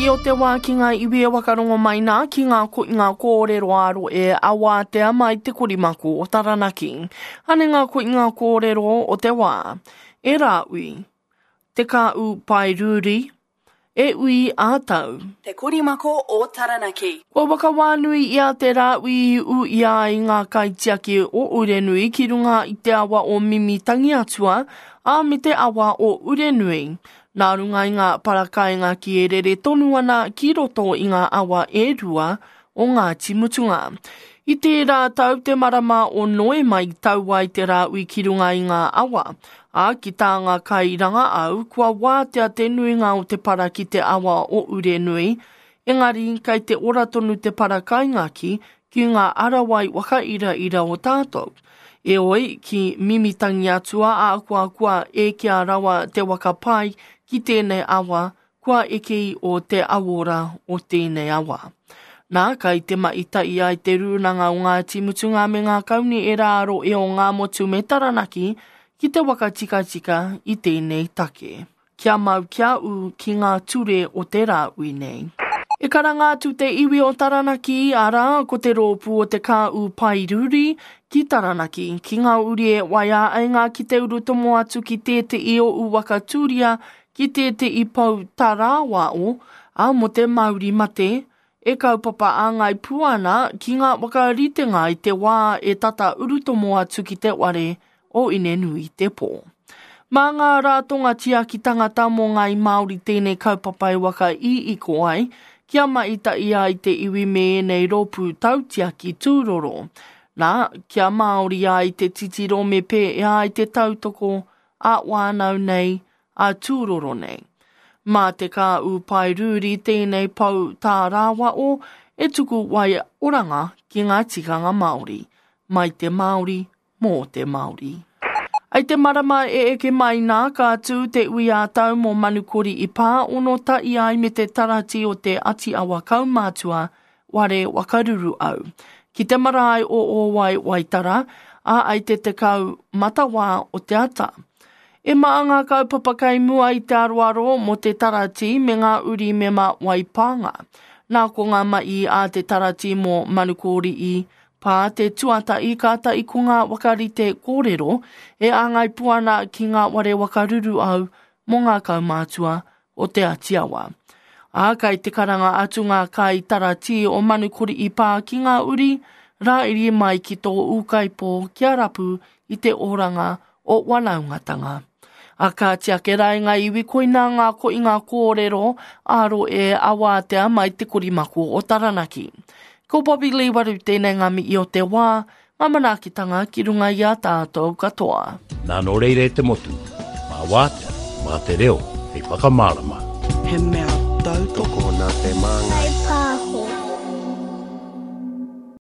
mihi o te wā ki ngā iwi e wakarongo mai nā ki ngā koinga kōrero ā rohe a wātea mai te korimako o Taranaki. Ane ngā koinga kōrero o te wā. E Rāui. Te Kāu Paerūri, E ui ā tau. Te Korimako o Taranaki. Kua whakawānui i a Te Rāui i ū ia ai ngā kaitiaki o Urenui ki runga i te awa o Mimitangiatua, ā, me te awa o Urenui. Nā runga i ngā parakaingaki e rere tonu ana ki roto i ngā awa e rua o Ngāti Mutunga. I tērā tau te marama o Noema i tau ai te rāui ki runga i ngā awa, ā, ki tā ngā kairangaau, kua wātea te nuinga o te para ki te awa o Urenui, engari kei te ora tonu te para kaingaki ki ngā arawai whakairaira o tātou. Eoi, ki Mimitangiatua ā kua kua ekea rawa te waka pai ki tēnei awa, kua eke i o te awora o tēnei awa. Nā, kai te maita'i ai te rūnanga o Ngāti Mutunga me ngā kauni e rāro e o Ngāmotu me Taranaki ki te waka tikatika i tēnei take. Kia mau kia ū ki ngā ture o te rāui nei. E karanga atu te iwi o Taranaki, arā, ko te rōpū o Te Kāū Paeruri, ki Taranaki, ki ngā uri e waia ai ngā ki te urutomo atu ki tēte'i o Uwaka Tūria ki tēte'i pou tarāwao, ā, mō te mauri mate, e kaupapa āngai pū ana ki ngā whakaritenga i te wā e tata urutomo atu ki te ware o Inenuitepō. Mā ngā rātonga tiaki tangata mō ngāi Māori tēnei kaupapa e whakaiiko ai, kia maita'i ai te iwi me ēnei rōpū tautiaki tūroro. Nā, kia Māori ai te titiro me pēhea ai te tautoko ā-whānau nei, ā-tūroro nei. Mā te kāū paerūri tēnei pou tārāwao e tuku wai oranga ki ngā tikanga Māori, mai te Māori, mō te Māori. I te marama e eke mai nā, ka tū te ui ā-tau mō Manukori i Pā, ono ta'i ai me te tarati o te Ati Awa Kaumātua, Ware Wakaruru Au. Ki te marae o Ōwai Waitara, ā, ai te 10 matawā o te ata. E maa ngā kaupapa kei mua i te aroaro mō te taratī me ngā uri mema waipānga. Nā ko ngā ma'i a te taratī mō Manukōri'i Pā te tuatahi kātahi ko ngā whakarite kōrero e āngai pū ana ki ngā ware whakaruruau mō ngā kaumātua o Te Ati Awa. Ā, kai te karanga atu ngā kai taratī o Manukori'i Pā ki ngā uri, rāiri mai ki tō ūkaipō kia rapu i te oranga o wanaungatanga. A kāti ake rā i ngā iwi koinā ngā koinga kōrero ā rohe a wātea mai te korimako o Taranaki. Ko Bobby Lee Waru tēnei ngā mihi o te wā, ngā manaakitanga ki runga i a tātou katoa. Nā nō reira e te motu, mā wātea, mā te reo hei whakamārama. He mea tautoko. Tokona te māngai.